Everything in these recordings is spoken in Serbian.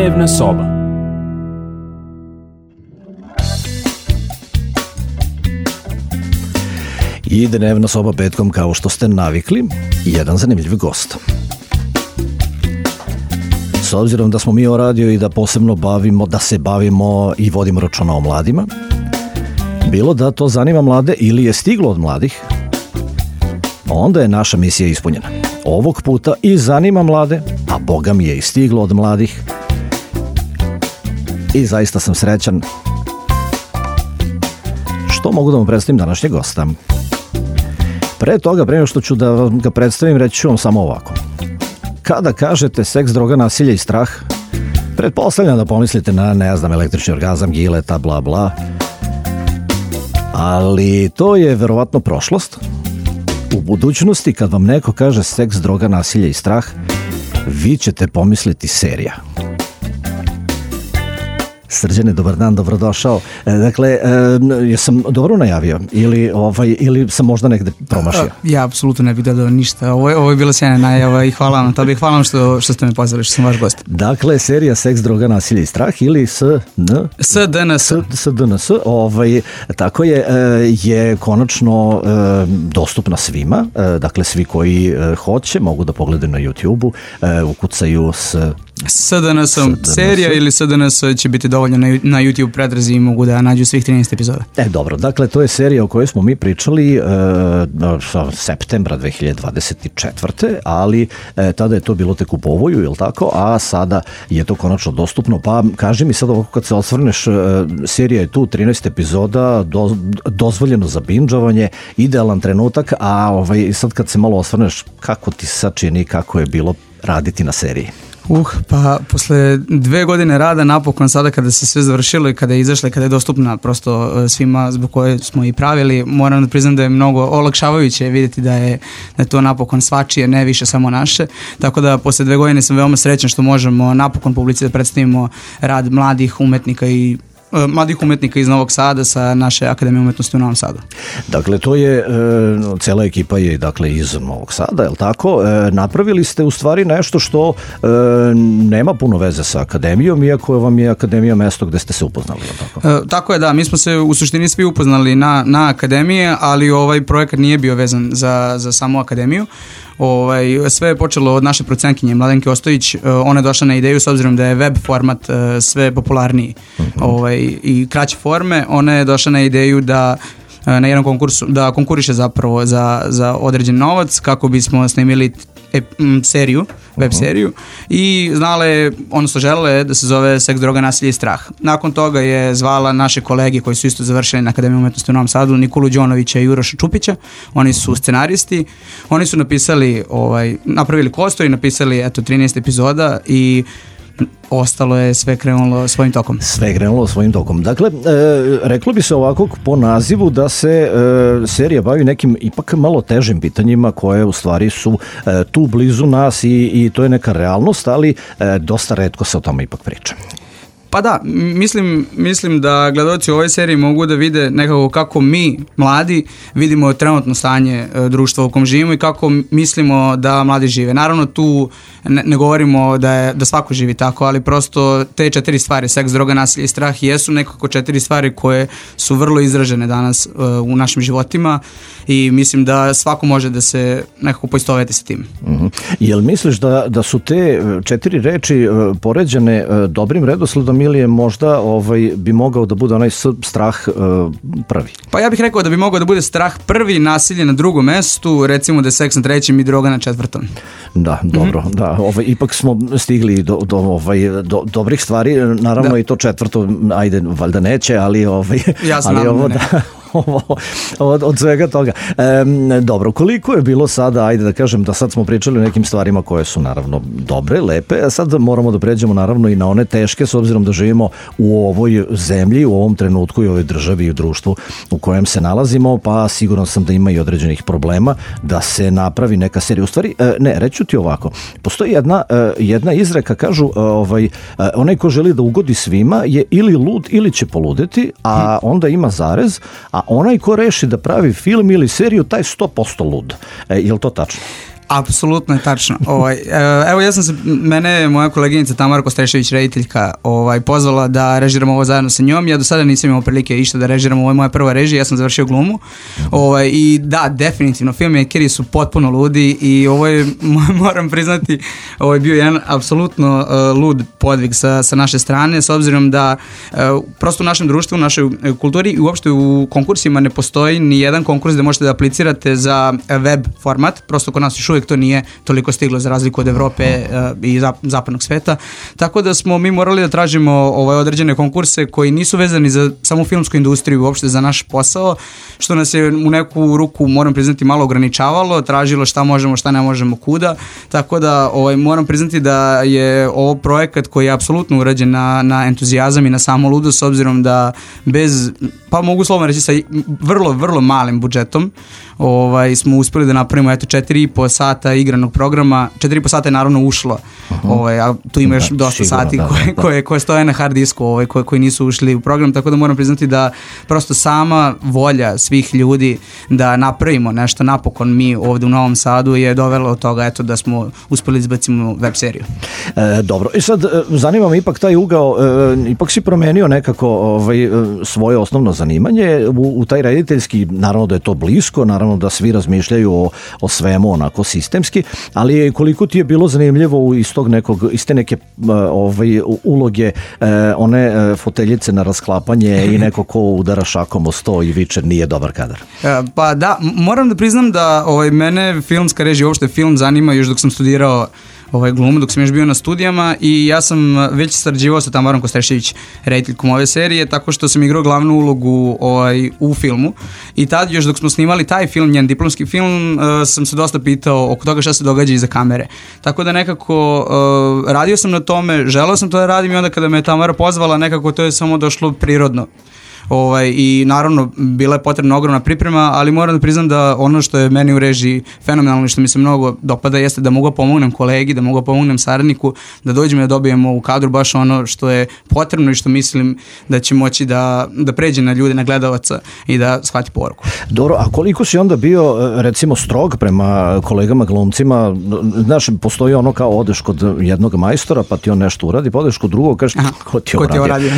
Dnevna soba. I dnevna soba petkom, kao što ste navikli, jedan zanimljiv gost. S obzirom da smo mi o radio i da posebno se bavimo i vodimo računa o mladima, bilo da to zanima mlade ili je stiglo od mladih, onda je naša misija ispunjena. Ovog puta i zanima mlade, a Boga mi je i stiglo od mladih. I zaista sam srećan što mogu da vam predstavim današnjeg gosta. Pre toga, pre nego što ću da vam ga predstavim, reći ću vam samo ovako. Kada kažete seks, droga, nasilje i strah, pretpostavljam da pomislite na, ne znam, električni orgazam, gileta, bla bla. Ali to je verovatno prošlost. U budućnosti, kad vam neko kaže seks, droga, nasilje i strah, vi ćete pomisliti serija. Srđane, dobar dan, dobrodošao. Dakle, jesam dobro najavio ili sam možda negde promašio? Ja apsolutno ne bih dodao ništa. Ovo je bila sjajna najava i hvala vam. To bih hvala vam što ste me pozvali, što sam vaš gost. Dakle, serija Seks, droga, nasilje i strah ili SDNS. Tako je konačno dostupna svima. Dakle, svi koji hoće mogu da pogledaju na YouTube-u, ukucaju SDNS-om serija ili SDNS će biti dovoljno na YouTube pretrazi i mogu da nađu svih 13 epizoda. Dobro, dakle to je serija o kojoj smo mi pričali septembra 2024. Ali tada je to bilo tek u povoju, je li tako? A sada je to konačno dostupno. Pa kaži mi sad ovako, kad se osvrneš, serija je tu, 13 epizoda, dozvoljeno za binđovanje, idealan trenutak, a sad kad se malo osvrneš, kako ti sad čini, kako je bilo raditi na seriji? Pa posle 2 godine rada, napokon sada kada se sve završilo i kada je izašla i kada je dostupna prosto svima zbog koje smo i pravili, moram da priznam da je mnogo olakšavajuće vidjeti da je to napokon svačije, ne više samo naše, tako da posle 2 godine sam veoma srećan što možemo napokon publici da predstavimo rad mladih umetnika iz Novog Sada sa naše Akademije umetnosti u Novom Sadu. Dakle, to je, cela ekipa je dakle iz Novog Sada, je li tako? Napravili ste u stvari nešto što nema puno veze sa Akademijom, iako vam je Akademija mesto gde ste se upoznali, je li tako? Tako je, da, mi smo se u suštini svi upoznali na Akademije, ali ovaj projekat nije bio vezan za samu Akademiju. Sve je počelo od naše procenkinje Mladenke Ostojić. Ona je došla na ideju, s obzirom da je web format sve popularniji i kraće forme. Ona je došla na ideju da na jednom konkursu, da konkuriše zapravo za određen novac kako bismo snimili seriju, web seriju, i želela je da se zove Seks, droga, nasilje i strah. Nakon toga je zvala naše kolege koji su isto završili na Akademiji umetnosti u Novom Sadu, Nikolu Đonovića i Uroša Čupića. Oni su scenaristi, oni su napravili kostur i napisali 13 epizoda i ostalo je sve krenulo svojim tokom. Dakle, reklo bi se ovako po nazivu da se serija bavi nekim ipak malo težim pitanjima koje u stvari su tu blizu nas i to je neka realnost, ali dosta retko se o tome ipak priča. Pa da, mislim da gledaoci u ovoj seriji mogu da vide nekako kako mi, mladi, vidimo trenutno stanje društva u kom živimo i kako mislimo da mladi žive. Naravno, tu ne govorimo da svako živi tako, ali prosto te 4 stvari, seks, droga, nasilje i strah, jesu nekako 4 stvari koje su vrlo izražene danas u našim životima i mislim da svako može da se nekako poistoveti sa tim. Jel misliš da su te 4 reči poređane dobrim redosledom ili je možda bi mogao da bude onaj strah prvi? Pa ja bih rekao da bi mogao da bude strah prvi, nasilje na drugom mestu, recimo da je seks na 3. i droga na 4. Da, dobro, da, ipak smo stigli do dobrih stvari, naravno da. I to 4. ajde, valjda neće, ali ja znam od svega toga. Dobro, koliko je bilo sada, ajde da kažem da sad smo pričali o nekim stvarima koje su naravno dobre, lepe, a sad moramo da pređemo naravno i na one teške, s obzirom da živimo u ovoj zemlji, u ovom trenutku i u ovoj državi i u društvu u kojem se nalazimo, pa siguran sam da ima i određenih problema da se napravi neka serija. U stvari, reću ti ovako, postoji jedna izreka, kažu, onaj ko želi da ugodi svima je ili lud ili će poludeti, a onda ima zarez, a onaj ko reši da pravi film ili seriju, taj 100% lud. Je li to tačno? Apsolutno je tačno. Evo mene je moja koleginica Tamara Kostrešević, rediteljka, pozvala da režiramo ovo zajedno sa njom. Ja do sada nisam imao prilike išta da režiramo, ovo je moja prva režija, ja sam završio glumu. I da, definitivno, filmmakeri su potpuno ludi i ovo je, moram priznati, ovo je bio jedan apsolutno lud podvig sa naše strane, s obzirom da prosto u našem društvu, u našoj kulturi i uopšte u konkursima ne postoji ni jedan konkurs da možete da aplicirate za web format, prosto kod nas još uvijek to nije toliko stiglo za razliku od Evrope i zapadnog sveta, tako da smo mi morali da tražimo određene konkurse koji nisu vezani za samu filmsku industriju, uopšte za naš posao, što nas je u neku ruku, moram priznati, malo ograničavalo, tražilo šta možemo, šta ne možemo, kuda, tako da moram priznati da je ovo projekat koji je apsolutno urađen na entuzijazam i na samo ludo, s obzirom da bez, pa mogu slovno reći sa vrlo, vrlo malim budžetom smo uspjeli da napravimo 4,5 sata igranog programa. 4,5 sata je naravno ušlo, a tu ima još dosta sati koje stoje na hard disku, koji nisu ušli u program, tako da moram priznati da prosto sama volja svih ljudi da napravimo nešto napokon mi ovdje u Novom Sadu je dovela od toga da smo uspjeli izbacimo web seriju. Dobro, i sad zanima me ipak taj ugao, ipak si promenio nekako svoje osnovno zanimanje u taj rediteljski, naravno da je to blisko, naravno da svi razmišljaju o svemu onako sistemski, ali koliko ti je bilo zanimljivo iz te neke uloge, one foteljice na rasklapanje i neko ko udara šakom o sto i viče nije dobar kadar? Pa da, moram da priznam da mene filmska režija, uopšte film zanima još dok sam studirao glumu, dok sam još bio na studijama i ja sam već sarađivao sa Tamarom Kostrešević, rediteljkom ove serije, tako što sam igrao glavnu ulogu u filmu i tad još dok smo snimali taj film, njen diplomski film, sam se dosta pitao oko toga šta se događa iza kamere. Tako da nekako radio sam na tome, želeo sam to da radim i onda kada me Tamara pozvala, nekako to je samo došlo prirodno. I naravno bila je potrebna ogromna priprema, ali moram da priznam da ono što je meni u režiji fenomenalno i što mi se mnogo dopada jeste da mogu pomognem kolegi, da mogu pomognem saradniku, da dođemo i da dobijemo u kadru baš ono što je potrebno i što mislim da će moći da pređe na ljude, na gledalaca i da shvati poruku. Dobro, a koliko si onda bio recimo strog prema kolegama glumcima? Znaš, postoji ono kao odeš kod jednog majstora pa ti on nešto uradi, pa odeš kod drugog, kažeš ko ti je uradio?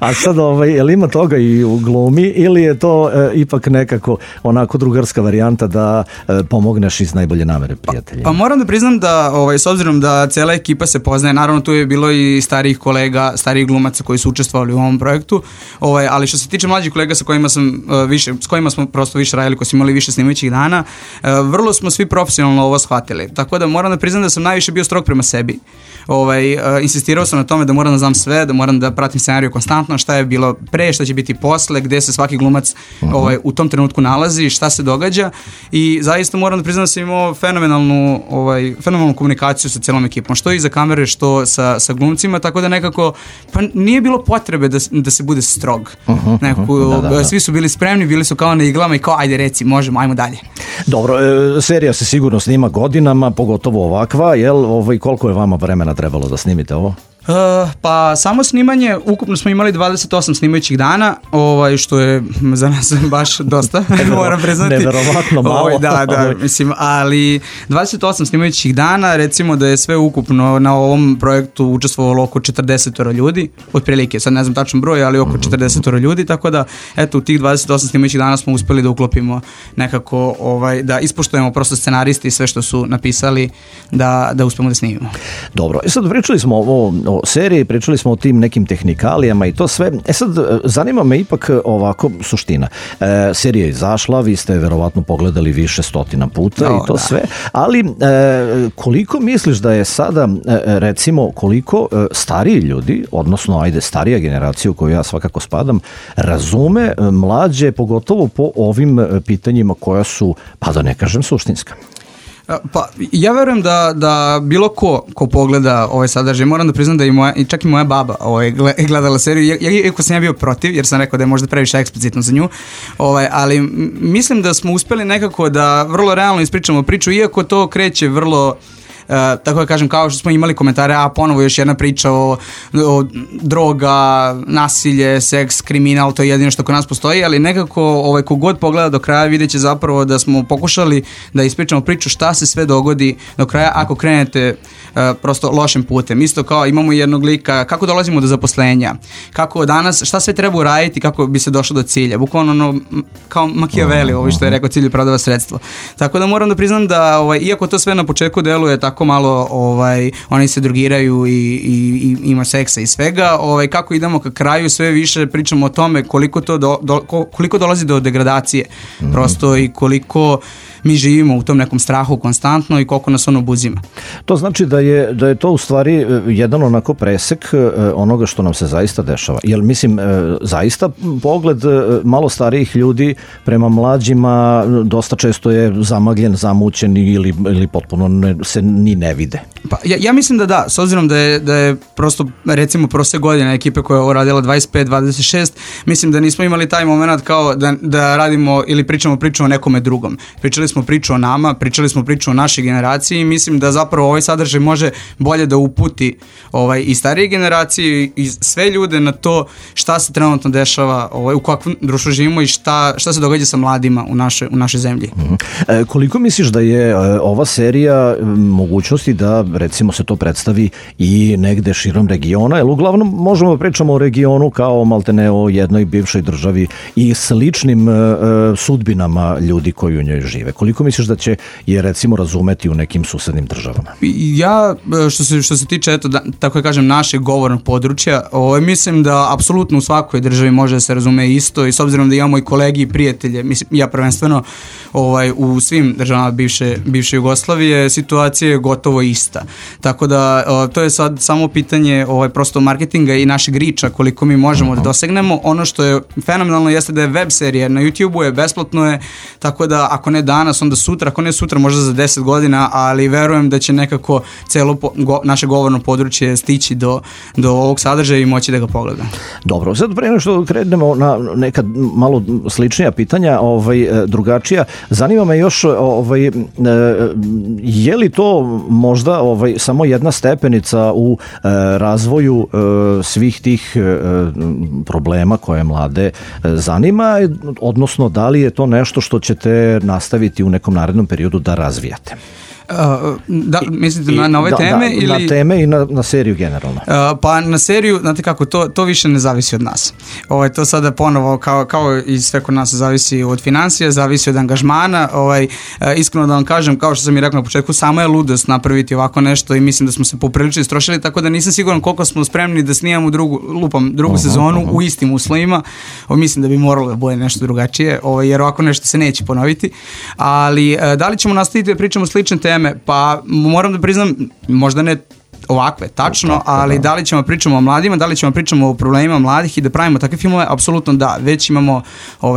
A sad jel ima toga i u glumi ili je to ipak nekako onako drugarska varijanta da pomogneš iz najbolje namere prijateljima? Pa moram da priznam da s obzirom da cela ekipa se poznaje, naravno tu je bilo i starijih kolega, starijih glumaca koji su učestvovali u ovom projektu, ali što se tiče mlađih kolega s kojima smo prosto više radili, koji su imali više snimajućih dana, vrlo smo svi profesionalno ovo shvatili. Tako da moram da priznam da sam najviše bio strog prema sebi. Insistirao sam na tome da moram da znam sve, da moram da pratim scenariju konstantno, šta je bilo pre, šta će biti posle, gde se svaki glumac u tom trenutku nalazi, šta se događa i zaista moram da priznam da sam imao fenomenalnu komunikaciju sa celom ekipom, što iza kamere, što sa glumcima, tako da nekako pa nije bilo potrebe da se bude strog. Svi su bili spremni, bili su kao na iglama i kao ajde reci, možemo, ajmo dalje. Dobro, serija se sigurno snima godinama, pogotovo ovakva, jel? Koliko je vama vremena trebalo da snimite ovo? Pa samo snimanje, ukupno smo imali 28 snimajućih dana, što je za nas baš dosta, moram priznati. Neverovatno malo. Da, mislim, ali 28 snimajućih dana, recimo da je sve ukupno na ovom projektu učestvovalo oko 40 ljudi, otprilike, sad ne znam tačan broj, ali oko 40 ljudi, tako da, eto, u tih 28 snimajućih dana smo uspeli da uklopimo nekako, da ispoštujemo prosto scenaristi i sve što su napisali, da uspemo da snimimo. Dobro, sad pričali smo o seriji, pričali smo o tim nekim tehnikalijama i to sve. Sad, zanima me ipak ovako suština. Serija je izašla, vi ste verovatno pogledali više stotina puta i to sve, ali koliko misliš da je sada, recimo, koliko stariji ljudi, odnosno, starija generacija u koju ja svakako spadam, razume mlađe, pogotovo po ovim pitanjima koja su, pa da ne kažem, suštinska? Pa ja verujem da bilo ko pogleda ovaj sadržaj, moram da priznam da čak i moja baba gledala seriju, iako sam ja bio protiv jer sam rekao da je možda previše eksplicitno za nju, ali mislim da smo uspeli nekako da vrlo realno ispričamo priču, iako to kreće vrlo tako da kažem, kao što smo imali komentare, a ponovo još jedna priča o droga, nasilje, seks, kriminal, to je jedino što kod nas postoji, ali nekako kogod pogleda do kraja vidjet će zapravo da smo pokušali da ispričamo priču šta se sve dogodi do kraja ako krenete prosto lošim putem. Isto kao imamo jednog lika, kako dolazimo do zaposlenja, kako danas, šta sve treba uraditi kako bi se došlo do cilja. Bukvalno kao Machiavelli, ovo što je rekao, cilj opravdava sredstvo. Tako da moram da priznam da iako to sve na početku deluje tako malo, oni se drogiraju i ima seksa i svega, kako idemo ka kraju sve više pričamo o tome koliko dolazi do degradacije prosto i koliko mi živimo u tom nekom strahu konstantno i koliko nas ono obuzima. To znači da je to u stvari jedan onako presek onoga što nam se zaista dešava. Jer mislim, zaista pogled malo starijih ljudi prema mlađima dosta često je zamagljen, zamućen ili potpuno se ni ne vide. Pa, ja mislim da s obzirom da je prosto recimo prošle godine ekipe koja je ovo radila 25-26, mislim da nismo imali taj moment kao da radimo ili pričamo priču o nekome drugom. Pričali smo priču o nama, pričali smo priču o našoj generaciji i mislim da zapravo ovaj sadržaj može bolje da uputi i starije generacije i sve ljude na to šta se trenutno dešava, u kakvom društvu živimo i šta se događa sa mladima u našoj zemlji. Koliko misliš da je ova serija mogućnosti da recimo se to predstavi i negde širom regiona, jer uglavnom možemo da pričamo o regionu kao maltene o jednoj bivšoj državi i sličnim sudbinama ljudi koji u njoj žive. Koliko misliš da će je recimo razumeti u nekim susednim državama? Ja, što se tiče, tako da kažem, našeg govornog područja, mislim da apsolutno u svakoj državi može da se razume isto i s obzirom da imamo i kolegi i prijatelje, mislim, ja prvenstveno u svim državama bivše Jugoslavije, situacija je gotovo ista. Tako da to je sad samo pitanje prosto marketinga i našeg riča koliko mi možemo da dosegnemo. Ono što je fenomenalno jeste da je web serija na YouTube-u, je besplatno je, tako da ako ne danas, onda sutra, ako ne sutra, možda za 10 godina, ali verujem da će nekako celo naše govorno područje stići do ovog sadržaja i moći da ga pogleda. Dobro, sad pre nego što krenemo na neka malo sličnija pitanja, drugačija, zanima me još je li to možda samo jedna stepenica u razvoju svih tih problema koje mlade zanima, odnosno da li je to nešto što ćete nastaviti u nekom narednom periodu da razvijate? Mislite na ove teme? Ili... Na teme i na seriju generalno. Pa na seriju, znate kako, to više ne zavisi od nas. To sada ponovo, kao i sve kod nas, zavisi od financija, zavisi od angažmana. Iskreno da vam kažem, kao što sam i rekao na početku, samo je ludost napraviti ovako nešto i mislim da smo se poprilično istrošili, tako da nisam siguran koliko smo spremni da snimamo drugu sezonu u istim uslovima. Mislim da bi moralo da bude nešto drugačije, jer ovako nešto se neće ponoviti. Ali da li ćemo nastaviti da pričamo slične teme? Pa moram da priznam, možda ne ovakve, tačno, ali da li ćemo pričamo o mladima, da li ćemo pričamo o problemima mladih i da pravimo takve filmove, apsolutno da, već imamo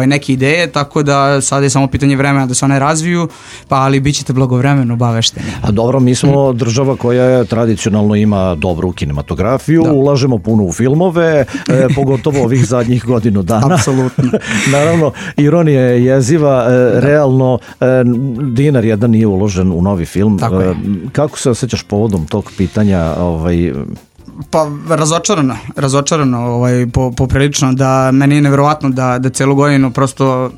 neke ideje, tako da sada je samo pitanje vremena da se one razviju, pa ali bit ćete blagovremeno obavešteni. A dobro, mi smo država koja tradicionalno ima dobru kinematografiju, ulažemo puno u filmove, pogotovo ovih zadnjih godinu dana. Apsolutno. Naravno, ironija je jeziva, realno dinar jedan nije uložen u novi film. Kako se osjećaš povodom tog pitanja? Pa razočarano poprilično, da meni je nevjerovatno da celu godinu prosto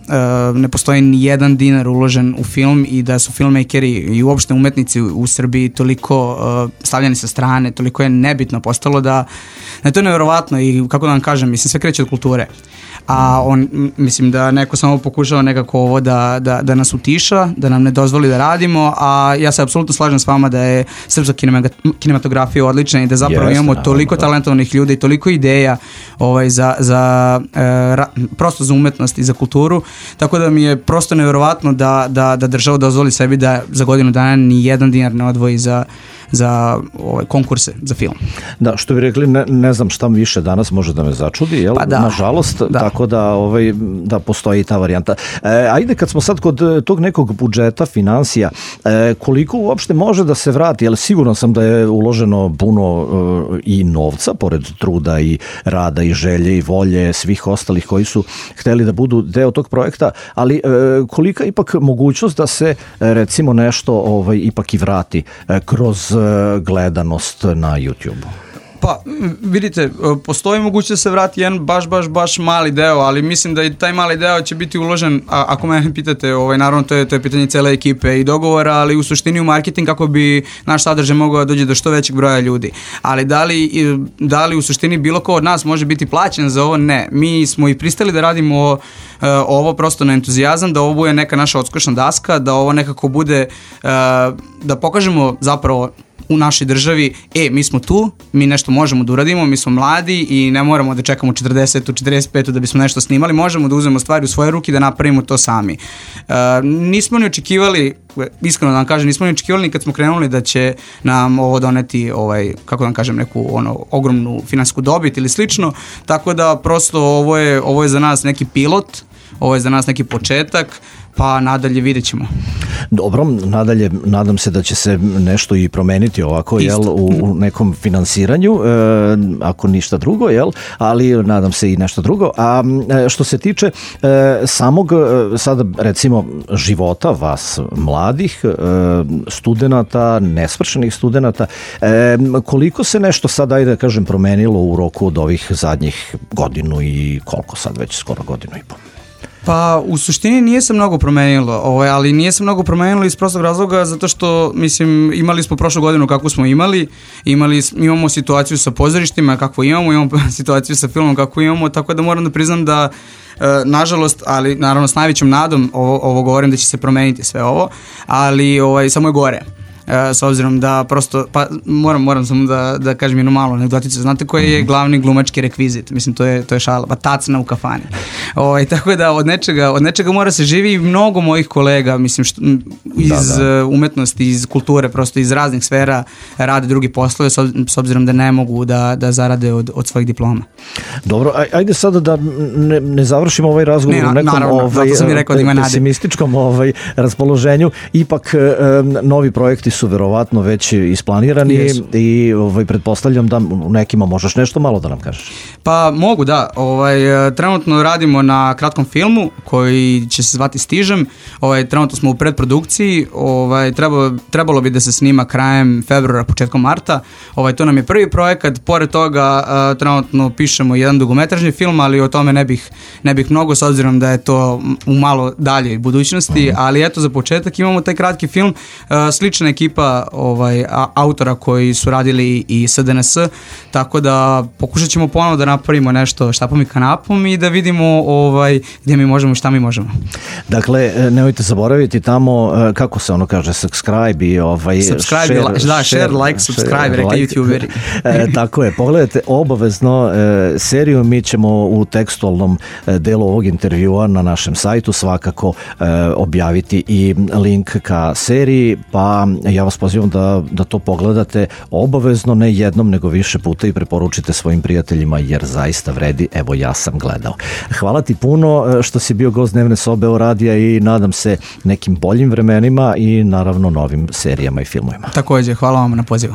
ne postoji ni jedan dinar uložen u film i da su filmmakeri i uopšte umetnici u Srbiji toliko stavljeni sa strane, toliko je nebitno postalo da je to nevjerovatno i kako da vam kažem, mislim, sve kreće od kulture. A mislim da neko samo pokušava nekako ovo da nas utiša, da nam ne dozvoli da radimo, a ja se apsolutno slažem s vama da je srpska kinematografija odlična i da zapravo imamo toliko talentovanih ljudi i toliko ideja prosto za umetnost i za kulturu, tako da mi je prosto nevjerovatno da država dozvoli sebi da za godinu dana ni jedan dinar ne odvoji za za konkurse za film. Da, što bi rekli, ne znam šta više danas može da me začudi, jel? Pa da. Nažalost, tako da postoji i ta varijanta. Ajde, kad smo sad kod tog nekog budžeta, financija, koliko uopšte može da se vrati, jer sigurno sam da je uloženo puno i novca, pored truda i rada i želje i volje svih ostalih koji su hteli da budu deo tog projekta, ali kolika ipak mogućnost da se recimo nešto ipak i vrati kroz gledanost na YouTube-u? Pa, vidite, postoji mogućnost da se vrati jedan baš mali deo, ali mislim da i taj mali deo će biti uložen, ako me pitate, naravno to je pitanje cele ekipe i dogovora, ali u suštini u marketing kako bi naš sadržaj mogao da dođe do što većeg broja ljudi. Ali da li u suštini bilo ko od nas može biti plaćen za ovo? Ne. Mi smo i pristali da radimo ovo prosto na entuzijazam, da ovo bude neka naša odskočna daska, da ovo nekako bude, da pokažemo zapravo u našoj državi, mi smo tu, mi nešto možemo da uradimo, mi smo mladi i ne moramo da čekamo 40. 45. da bismo nešto snimali, možemo da uzmemo stvari u svoje ruke i da napravimo to sami. Nismo ni očekivali, iskreno da vam kažem, nismo ni očekivali kad smo krenuli da će nam ovo doneti, kako da vam kažem, neku ogromnu finansijsku dobit ili slično, tako da prosto ovo je za nas neki pilot, ovo je za nas neki početak, pa nadalje vidjet ćemo. Dobro, nadalje nadam se da će se nešto i promeniti ovako, jel, u nekom finansiranju, ako ništa drugo, jel, ali nadam se i nešto drugo. A što se tiče samog sada recimo života vas mladih studenata, nesvršenih studenata, koliko se nešto sad, ajde da kažem, promenilo u roku od ovih zadnjih godinu i koliko sad već, skoro godinu i pol? Pa u suštini nije se mnogo promenilo, ali nije se mnogo promenilo iz prostog razloga zato što, mislim, imali smo prošlu godinu kakvu smo imamo situaciju sa pozorištima kakvu imamo situaciju sa filmom kakvu imamo, tako da moram da priznam da nažalost, ali naravno s najvećom nadom ovo govorim da će se promeniti sve ovo, ali samo je gore. S obzirom da prosto, pa moram samo da kažem jednu malu anegdoticu, znate koji je glavni glumački rekvizit, mislim to je šala, pa tacna u kafani, tako da od nečega mora se živi i mnogo mojih kolega, mislim iz umetnosti, iz kulture, prosto iz raznih sfera rade drugi poslove s obzirom da ne mogu da zarade od svojih diploma. Dobro, ajde sada da ne završimo ovaj razgovor u nekom pesimističkom raspoloženju, ipak novi projekti su verovatno već isplanirani i pretpostavljam da u nekima možeš nešto malo da nam kažeš. Pa mogu, da. Trenutno radimo na kratkom filmu koji će se zvati Stižem. Trenutno smo u predprodukciji. Trebalo bi da se snima krajem februara, početkom marta. To nam je prvi projekat. Pored toga trenutno pišemo jedan dugometražni film, ali o tome ne bih mnogo, s obzirom da je to u malo daljoj budućnosti. Ali eto, za početak imamo taj kratki film. Slična ekipa autora koji su radili i SDNS, tako da pokušat ćemo ponovo da napravimo nešto štapom i kanapom i da vidimo gdje mi možemo i šta mi možemo. Dakle, nemojte zaboraviti tamo, kako se ono kaže, subscribe i share, like, subscribe, rekli youtuberi. Tako je, pogledajte obavezno seriju, mi ćemo u tekstualnom delu ovog intervjua na našem sajtu svakako objaviti i link ka seriji, pa ja vas pozivam da to pogledate obavezno, ne jednom nego više puta i preporučite svojim prijateljima jer zaista vredi, evo ja sam gledao. Hvala ti puno što si bio gost Dnevne sobe o radija i nadam se nekim boljim vremenima i naravno novim serijama i filmovima. Također, hvala vam na pozivu.